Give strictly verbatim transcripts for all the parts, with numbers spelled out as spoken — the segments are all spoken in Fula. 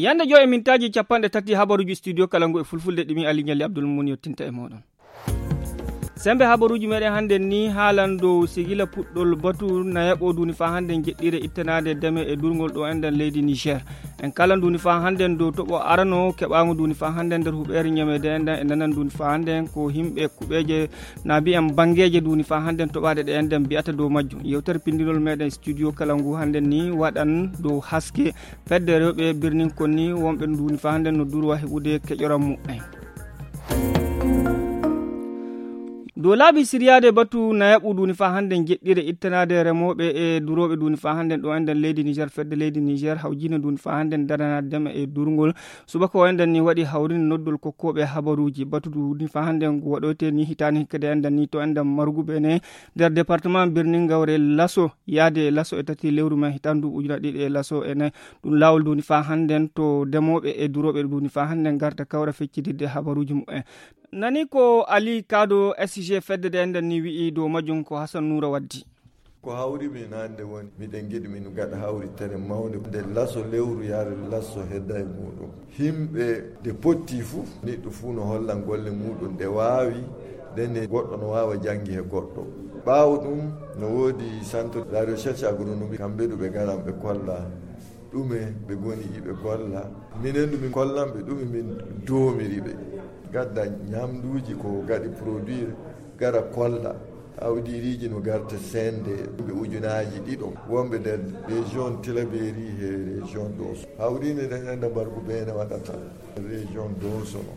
Yande joy e mintaaji capanɗe tati habaruuji studio kala ngu e fulfulde ɗimi Ali Ɲalli Abdul Mumin yottinta e mooɗon. Sembe habaruuji meɗen hannden ni haalan dow sigila puɗɗol batu nayaɓo duuni faa hannden jeɗɗire ittanaade deme e durngol ɗo enɗan leydi Niger. En kala nduuni faa hannden dow toɓo arano keɓaango nduuni faa hannden nder huɓeere ɲamede enɗan e nanan nduuni faa hannden ko himɓe kuɓeeje na mbiyen banngeeje nduuni faa hannden toɓaaɗe ɗe enɗan mbiyata dow majjum. Yewtere pinndinol meɗen studio kala ngu hannden ni waɗan dow haske fedde rewɓe birnin kon ni wonɓe nduuni faa hannden no durwa heɓude keƴoram muɓɓen. Dow laabi siryaade batu nayaɓu nduuni faa hannden jeɗɗire ittanaade remooɓe e durooɓe nduuni faa hannden ɗo enɗan leydi Niger fedde leydi Niger hawjiino nduuni faa hannden daranaade deme e durngol. Subaka o enɗan ni waɗi hawrinde noddol kokkooɓe habaruuji batu nduuni faa hannden ngu waɗoyte ni hitaani hikkade enɗan ni to enɗan marguɓe ne nder département birnin gawre laso yaade laso e tati lewru men hitaande duuɓi ujuna ɗiɗi e laso e nayi. Ɗum laawol nduuni faa hannden to demooɓe e durooɓe nduuni faa hannden ngarta kawra feccidirde habaruuji muɓɓen. Nani ko Ali Kado S G fedde de enɗan ni wi'i dow majjum ko Hasan Nuura waddi. Ko hawri min hannde woni miɗen ngiɗi min gaɗa hawritere mawnde nde laso lewru yaade laso hedda e muɗum. Himɓe de potti fuu niɗɗo fuu no hollan golle muɗum ɗe waawi. Ndenne goɗɗo no waawa janngi he goɗɗo. Ɓaawo ɗum no woodi centre de la recherche agronomique kamɓe ɗo ɓe ngaran ɓe kolla ɗume ɓe ngoni iɓe golla. Minen ɗo min kollan ɓe ɗume min doomiri ɓe. Gadda ñamduuji ko gaɗi produire gara kolla. Awdiiriiji no garta sende ɓe ujunaaji ɗiɗo wonɓe nder région Tilaberi he région Doso. Hawriinde nden enda mbargu beene waɗata région Doso no.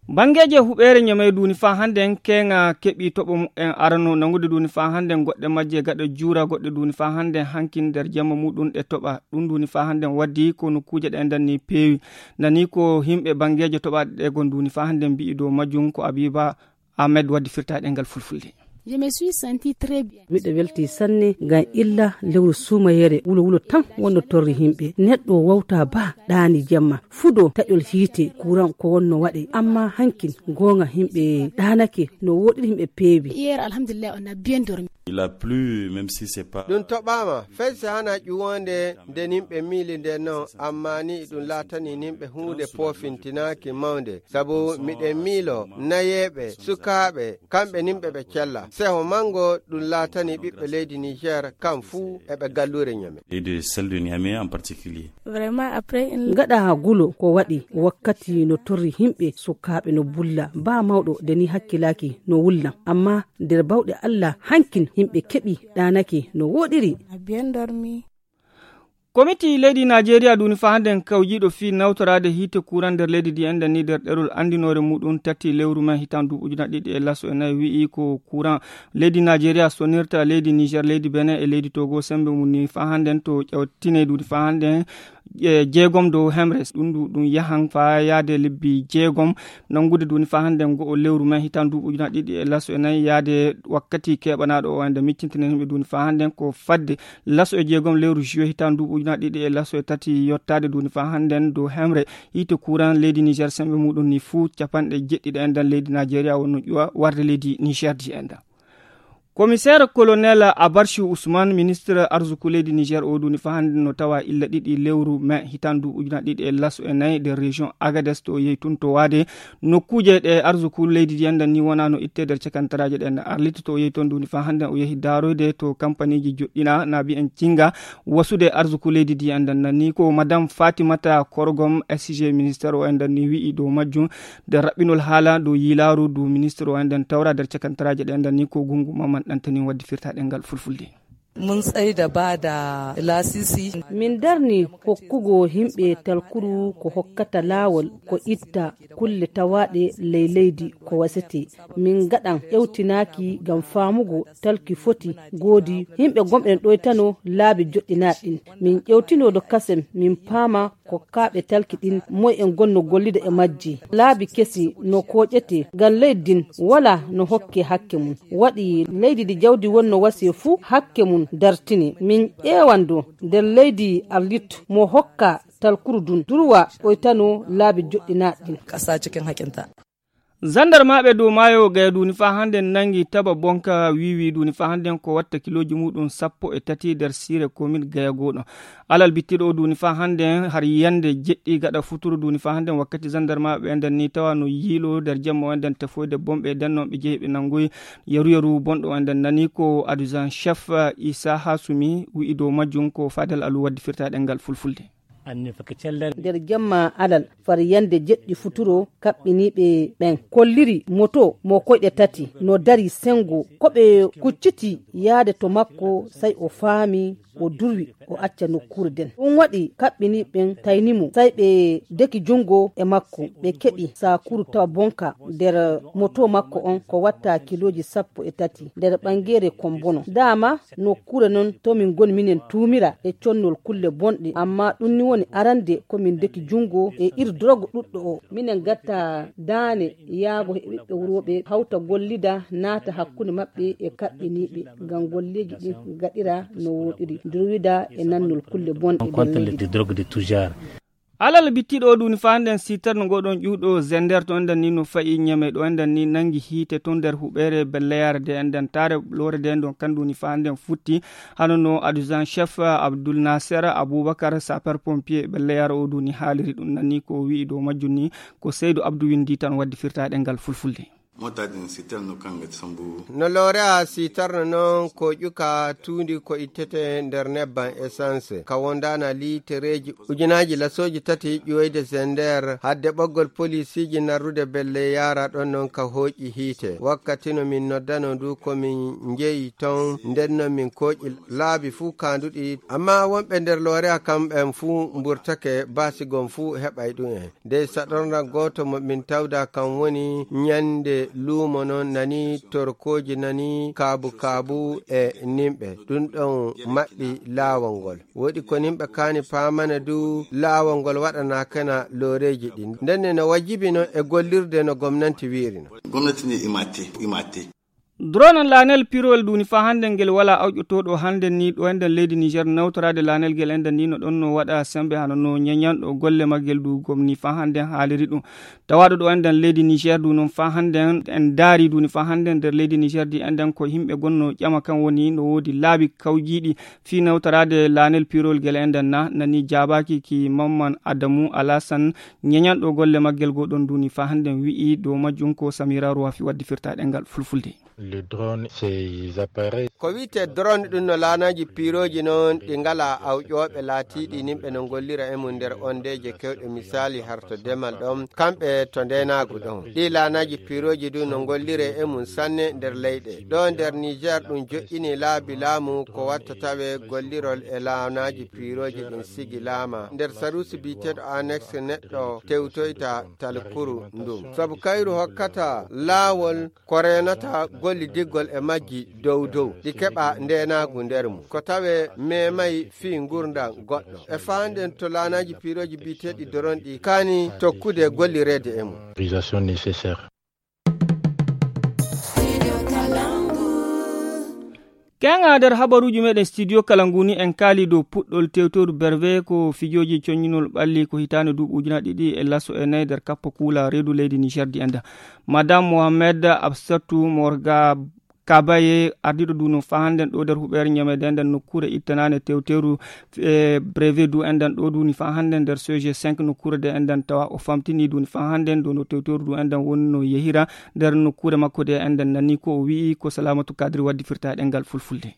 Banngeeji e huɓeere ñamey duuni faa hannden keeŋa keɓi toɓo muɓɓen arano nangude duuni faa hannden goɗɗe majje gaɗa juura goɗɗe duuni faa hannden hankin nder jamma muɗum ɗe toɓa. Ɗum duuni faa hannden waddi ko nokkuuje ɗe enɗan ni peewi. Nani ko himɓe banngeeje toɓaaɗe ɗe gon duuni faa hannden mbi'i dow majjum ko Abiba Ahmed waddi firtaaɗe ngal fulfulde. Je me suis senti très bien. Miɗo welti sanne ngam illa lewru suumayere wulo wulo tan wonno torri himɓe. Neɗɗo wawta ba ɗaani jamma. Fudo taƴol hiite kuran ko wonno waɗe. Amma hankin goonga himɓe ɗaanake no woɗiri himɓe peewi. Hier, alhamdulillah, on a bien dormi. Il a plu, même si c'est pas Ɗum toɓaama, fay si hana ƴuwonde nde nimɓe miili nde non, amma ni ɗum laatani nimɓe huunde poofintinaaki mawnde. Sabu miɗen miilo nayeeɓe, sukaaɓe, kamɓe nimɓe ɓe cella. Seho manngo ɗum laatani ɓiɓɓe leydi Niger kam fuu e ɓe galluure Niamey. Et de celle de Niamey en particulier. Vraiment, après une Gaɗa gulo ko waɗi wakkati no torri himɓe sukaaɓe no bulla, ba mawɗo de ni hakkilaaki no wulla. Amma nder bawɗe Allah hankin himɓe keɓi ɗaanake no woɗiri. A bien dormi. Komiti leydi Najeriya duni faa hannden kawjiiɗo fii nawtoraade hiite kuran nder leydi ndi enɗan ni nder ɗerol anndinoore muɗum tati lewru men hitan duuɓi ujuna ɗiɗi e laso e nayi wi'i ko kuran leydi Najeriya sonirta leydi Niger, leydi Benin e leydi Togo sembe mum ni faa hannden to ƴawtine duni faa hannden e jeegom dow hemre ɗum ɗum yahan faa yaade lebbi jeegom. Nanngude duni faa hannden go'o lewru men hitan duuɓi ujuna ɗiɗi e laso e nayi yaade wakkati keɓanaaɗo o ende miccintinen himɓe duni faa hannden ko fadde laso e jeegom lewru juillet hitan duuɓi ujuna ɗiɗi e laso e tati yottaade duni faa hannden dow hemre hiite kuran leydi Niger sembe muɗum ni fuu capanɗe jeɗɗiɗi enɗan leydi Najeriya wonno ƴuwa warde leydi Niger di enɗan. Komiseer kolonel Abarchi Ousmane, ministre arzuku leydi Niger o duni faa hannden no tawa illa ɗiɗi lewru mai hitan duuɓi ujuna ɗiɗi e laso e nayi nder région Agadez to o yehi tun to waade nokkuuje ɗe arzuku leydi ndi enɗan ni wona no itte nder cakantaraaje ɗen arliti to o yehi ton duni faa hannden o yehi daaroyde to kampaniiji joɗɗina na mbiyen cinga wasude arzuku leydi ndi enɗan nan ni ko madame Fatimata Korgom S G ministre o enɗan ni wi'i dow majjum nder raɓɓinol haala dow yiilaaru du ministre o enɗan tawra nder cakantaraaje ɗe enɗan ni ko gungu maman ɗantani waddi firtaaɗe ngal fulfulde. Mun tsaida ba da lasisi. Min darni hokkugo himɓe talkuru ko hokkata laawol ko itta kulle tawaaɗe ley leydi ko wasete. Min ngaɗan ƴewtinaaki ngam faamugo talki foti goodi. Himɓe gomɗen ɗoytano laabi joɗɗinaaɗi ɗin. Min ƴewtino do kasem min paama kokkaaɓe talki ɗin moy en gonno gollida e majji. Laabi kesi no kooƴete ngam leydi ndin wala no hokke hakke mum. Waɗi leydi ndi jawdi wonno wasiye fuu hakke mum dartine. Min ƴeewan do nder leydi arlit mo hokka talkuru ndun durwa ɓoytano laabi joɗɗinaaɗi ɗin. Ƙasa cikin haƙinta. Zandarmaaɓe dow maayo gaya duuni faa hannden nanngi taba bonka wiiwi duuni faa hannden ko watta kilooji muuɗum sappo e tati nder siire komin gaya gooɗo. Alal bittiɗo o duuni faa hannden har yande jeɗɗi gaɗa futuro duuni faa hannden wakkati zandarmaaɓe enden ni tawa no yiilo nder jemma o enden tefoyde bomɓe nden noon ɓe jehi ɓe nanngoyi yaru yaru bonɗo o enden nani ko adjudant chef isa hasumi wi'i dow majjum ko fadel alu waddi firta ɗengal fulfulde. Nder jemma alal far yande jeɗɗi futuro kaɓɓiniiɓe ɓen kolliri moto mo koyɗe tati no dari senngo ko ɓe kucciti yaade to makko sey o faami o durwi o acca nokkuure nden ɗum waɗi kaɓɓiniiɓe ɓen tayni mo sey ɓe deki junngo e makko ɓe keɓi saakuru tawa bonka nder moto makko on ko watta kilooji sappo e tati nder ɓanngeere kombono dama nokkuure non to min ngoni minen tuumira e connol kulle bonɗe amma ɗum ni woni arande ko min deki junngo e ir drogue ɗuɗɗo o minen gatta daane yaago e ɓiɓɓe wurooɓe hawta gollida naata hakkunde maɓɓe e kaɓɓiniiɓe ngam golleeji ɗin gaɗira no wooɗiri durwida e nannol kulle bonɗe nder leydi drogue de tout genre. Alal bittiɗo o duuni faa nden sitar no ngoɗon ƴuuɗo zender to enden ni no fayi ñeme ɗo enden ni nangi hiite to nder huɓeere belleyaare de enden taare loore de nden kan duuni faa nden futti hano no adjudant chef abdul naser aboubacar sapeur pompier belleyaare o duuni haaliri ɗum nanni ko wi'i dow majjum ni ko seydu abdou windi tan waddi firtaɗe ngal fulfulde. Mota din sitar no kan ga sambu. No loorea sitarno noon ko ƴuka tuundi ko ittete nder nebban essence ka wondaana liitereeji ujunaaji lasooji tati ƴuwoyde zender hadde ɓoggol polisiiji narrude belle yaara ɗon noon ka hooƴi hiite wakkati no min noddano ndu ko min njeyi ton nden noon min kooƴi laabi fuu kaanduɗi amma wonɓe nder loorea kamɓen fuu mburtake baasigon fuu heɓay ɗum en dey saɗorna gooto mo min tawda kam woni ñande luumo non nani torkooji nani kaabu kaabu e nimɓe ɗum ɗon maɓɓi laawol ngol woɗi ko nimɓe kaani paamana du laawol ngol waɗanakena looreeji ɗin ndenne no wajibi non e gollirde no gomnanti wiiri non. Gomnati ni imate imate. Dronan lanel pirowel duuni faa hannden ngel walaa awƴotooɗo hannden nii ɗo enɗen leydi niger nawtoraade lanel ngel enɗen nii no ɗon no waɗa semmbe hano no ñeñanɗo golle maggel du gomni faa hannden haaliri ɗum tawaaɗo ɗo enɗen leydi niger du noon faa hannden en ndaari duuni faa hannden nder leydi niger di enɗen ko yimɓe gonnoo ƴama kan woni no woodi laabi kawjiiɗi fii nawtoraade lanel pirowel ngel enɗen na nani jaabaaki ki mamman adamu alasan ñeñanɗo golle maggel goo ɗon duuni faa hannden wi'i dow majjum ko samira rowafi waddi firtaaɗe ngal fulfulde. Le drone ces appareils. Ko wiyte drone ɗum no laanaaji piirooji noon ɗi ngalaa awƴooɓe laatiiɗi nimɓe no ngollira e mum nder ondeeje kewɗe misaali harto demal ɗon kamɓe to ndeenaagu ɗon ɗi laanaaji piirooji ɗum no ngollire e mum sanne nder leyɗe ɗo nder niger ɗum joƴƴini laabi laamu ko watta tawe gollirol e laanaaji piirooji ɗum sigi laama nder sarusi biyeteeɗo annexe neɗɗo tewtoyta talkuru ndum sabu kayru hokkata laawol ko reenata gollidiggol e majji dow dow ɗi keɓa ndeenaagu nder mum ko tawe memay fii ngurndan goɗɗo e faanden to laanaaji piirooji biyeteeɗi doron ɗi kaani tokkude gollireede e mum. Autorisation nécessaire. Keŋa nder habaruuji meɗen studio kala nguni en kaali dow puɗɗol tewtoru berve ko fijooji coññinol ɓalli ko hitaande duuɓi ujunaaji ɗiɗi e laso e nayi nder kappa kuula reedu leydi niger di enda madame mohamed absatou morga kabaye ardiɗo duno fa hannden ɗo nder huɓeere ñamede enden nokkuure ittanande tewteru e brevet du enden ɗo duni fa hannden nder soje cinq nokkuure de enden tawa o famtini duni fa hannden dono tewteru du enden wonno yehira nder nokkuure makko de enden nani ko o wi'i ko salamatu kadri waddi firtaɗe ngal fulfulde.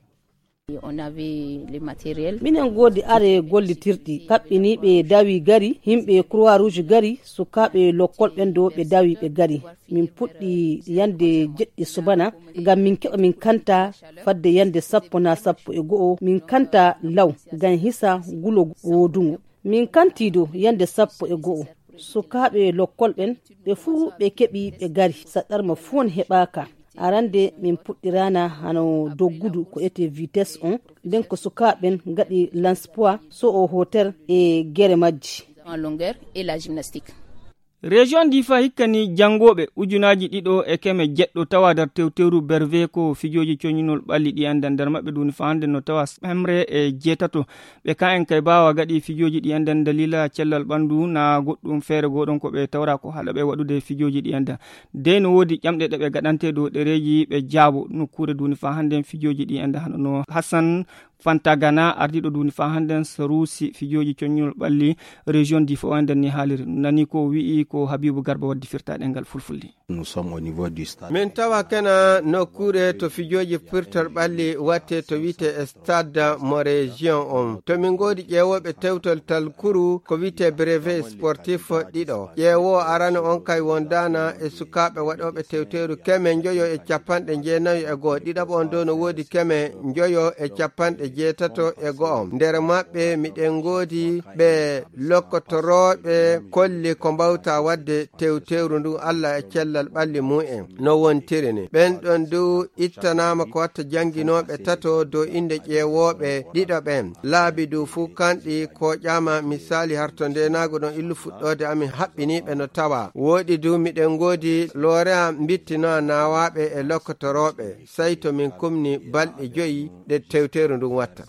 Minen ngoodi are gollitirɗi kaɓɓiniiɓe dawi gari yimɓe croix rouge gari sukaaɓe lokkol ɓen ɗo ɓe dawi ɓe gari. Min puɗɗi yande jeɗɗi subana ngam min keɓa min kanta fadde yande sappo na sappo e go'o min kanta law ngam hisa gulo woodungo. Min kanti dow yande sappo e go'o sukaaɓe lokkol ɓen ɓe fuu ɓe keɓi ɓe gari saɗɗarma fuu on heɓaaka. Arande min puɗɗirana hano doggudu ko ete vitesse on nden ko sukaaɓen ngaɗi lanspoids so'o hotel e gere majji. En longueur et la gymnastique. Région Difa hikka ni janngooɓe ujunaaji ɗiɗo e keme jeɗɗo tawa nder tewteeru Berve ko fijooji coñinol ɓalli ɗi anndan. Nder maɓɓe duuni faa hannde no tawa hemre e jeetato. Ɓe ka en kay baawa gaɗi fijooji ɗi anndan dalila cellal ɓanndu na goɗɗum feere gooɗon ko ɓe tawra ko haɗa ɓe waɗude fijooji ɗi anndan. Dey no woodi ƴamɗe ɗe ɓe gaɗante dow ɗereeji ɓe jaabo nokkuure duuni faa hannde fijooji ɗi anndan hano no Hassan Fantagana, ardiiɗo duuni faa hannden Saruusi fijooji coññol ɓalli région Difa o, nden ni haaliri. Nani ko wi'i ko Habibu Garba waddi firtaaɗe ngal fulfulde. Nous sommes au niveau du stade. Min tawa kena nokkuure to fijooji firtol ɓalli watte to wi'ete stade mo région on. To min ngoodi ƴeewooɓe tewtol talkuru ko wi'ete brevet sportif ɗiɗo. Ƴeewoo arano on kay wondaana e sukaaɓe waɗooɓe tewteeru keme njoyo e capanɗe jeenayo e go'o. Ɗiɗaɓo on dow no woodi keme njoyo e capanɗe jeetato e go'o. Nder maɓɓe miɗen ngoodi ɓe lokkotorooɓe kolli ko mbawta waɗde tewteeru ndu Allah e cellal ɓalli mu'en no wontiri ni. Ɓen ɗon du ittanaama ko watta jannginooɓe tato dow innde ƴeewooɓe ɗiɗo ɓen. Laabi du fuu kanɗi kooƴaama misaali harto ndeenaagu ɗon illu fuɗɗoode amin haɓɓiniiɓe no tawa. Wooɗi du miɗen ngoodi Looreya mbittinoa naawaaɓe e lokkotorooɓe, sey to min kumni balɗe joyi ɗe tewteeru ndun watta.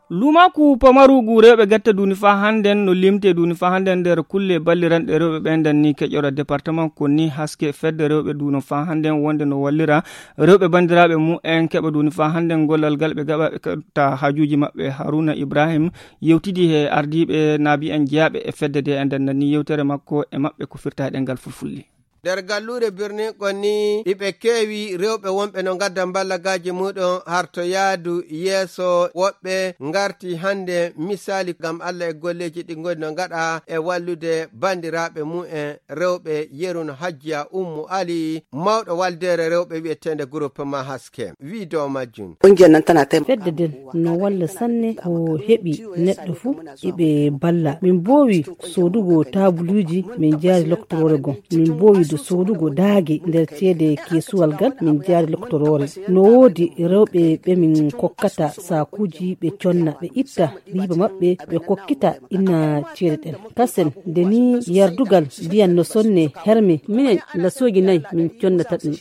Luumaaku pamaruugu rewɓe gatta duuni faa hannden no limtee duuni faa hannden nder kulle balliranɗe rewɓe ɓen nden ni keƴora département ko ni haske fedde rewɓe duuno faa hannden wonde no wallira rewɓe banndiraaɓe mu'en keɓa duuni faa hannden gollal ngal ɓe gaɓa ɓe ketta haajuuji maɓɓe. Haruna Ibrahim yewtidi he ardiiɓe naabi'en jeyaaɓe e fedde de e nden nanni yewtere makko e maɓɓe ko firta e ɗemngal fulfulde. Nder galluure birnin kon ni iɓe keewi rewɓe wonɓe no ngadda mballagaaji muɗum harto yaadu yeeso. Woɓɓe ngarti hannde misaali ngam Allah e golleeji ɗi ngoni no ngaɗa e wallude banndiraaɓe mu'en rewɓe. Yeru no Hajjiya Ummu Ali, mawɗo waldeere rewɓe wi'eteende Groupement Haske, wii dow majjum. Fedde nden no walla sanne ko heɓi neɗɗo fuu iɓe balla. Min mboowi soodugo taabuluuji, min njaari loktoroore gon. Min mboowi du soodugo daage nder ceede keesuwal ngal, min njaari loktoroore. No woodi rewɓe ɓe min kokkata saakuuji ɓe conna, ɓe itta riiba maɓɓe, ɓe kokkita inna ceede ɗen. Kasen, nde ni yardugal ndiyan no sonne herme, minen lasooji nay min connata ɗum.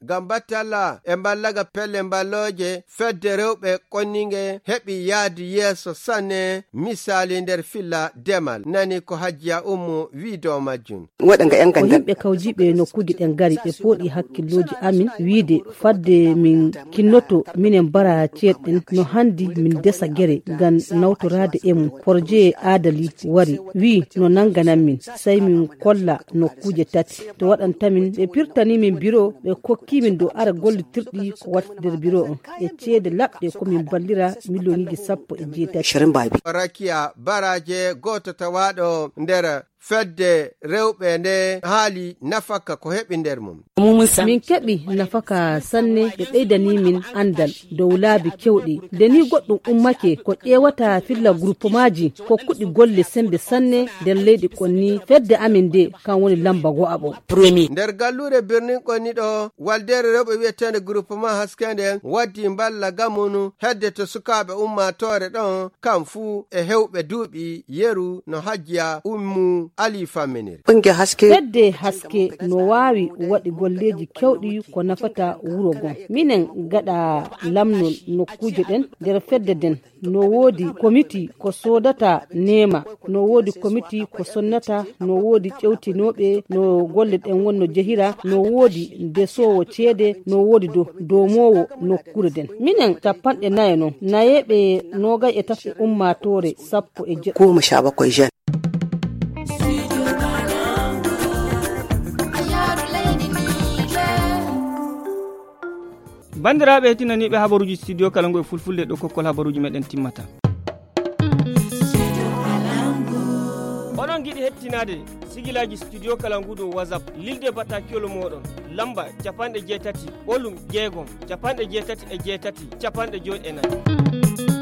Ngam batte Allah e mballaga pelle mballooje, fedde rewɓe konninge heɓi yaadu yeeso sanne, misaali nder filla demal. Nani ko Hajjiya Ummu wii dow majjum. Ko yimɓe kawjiiɓe nokkuuji ɗen ngari, ɓe pooɗi hakkillooji amin, wiide fadde min kinnoto, minen mbara ceeɗe ɗen, no hanndi min ndesa gere ngam nawtoraade e mum. Porojee aadali wari, wii no nannganan min, sey min kolla nokkuuje tati. To waɗanta min, ɓe pirtanii min biro, ɓe kokkii min dow ara gollitirɗi ko waɗata nder biro on. E ceede laɓɗe ko min mballira miliyoŋiiji sappo e jeetati. Rakiya Baraaje, gooto tawaaɗo nder fedde rewɓe nde haali nafaka ko heɓi nder mum. Min keɓi nafaka sanne, ɓe ɓeydanii min anndal dow laabi kewɗi. Nde ni goɗɗum ummake ko ƴeewata filla guruppemaaji kokkuɗi golle semmbe sanne nder leydi kon ni fedde amin nde kan woni lamba go'aɓo. Nder galluure birnin kon ni ɗo waldeere rewɓe wi'eteende Groupement Haske nden waddi mballa gamunu hedde to sukaaɓe ummaatoore ɗon kam fuu e hewɓe duuɓi yeru no Hajjiya Ummu Ali famminiri. Fedde Haske no waawi waɗi golleeji kewɗi ko nafata wuro gon. Minen gaɗa lamnol nokkuuje ɗen nder fedde nden. No woodi komiti ko soodata neema, no woodi komiti ko sonnata, no woodi ƴewtinooɓe no golle ɗen won no jehira, no woodi ndesoowo ceede, no woodi do-, doomoowo nokkuure nden. Minen cappanɗe nayo non, nayeeɓe noogay e tati ummaatoore sappo e jeɗɗi. Banndiraaɓe heɗtinaniiɓe habaruuji studio kala ngu e fulfulde ɗo kokkol habaruuji meɗen timmata. Oɗon ngiɗi heɗtinaade sigilaaji studio kala ngu dow WhatsApp, lilde bataakiwol mooɗon, lamba capanɗe jeetati, ɓolum jeegom, capanɗe jeetati e jeetati, capanɗe joy e nayi.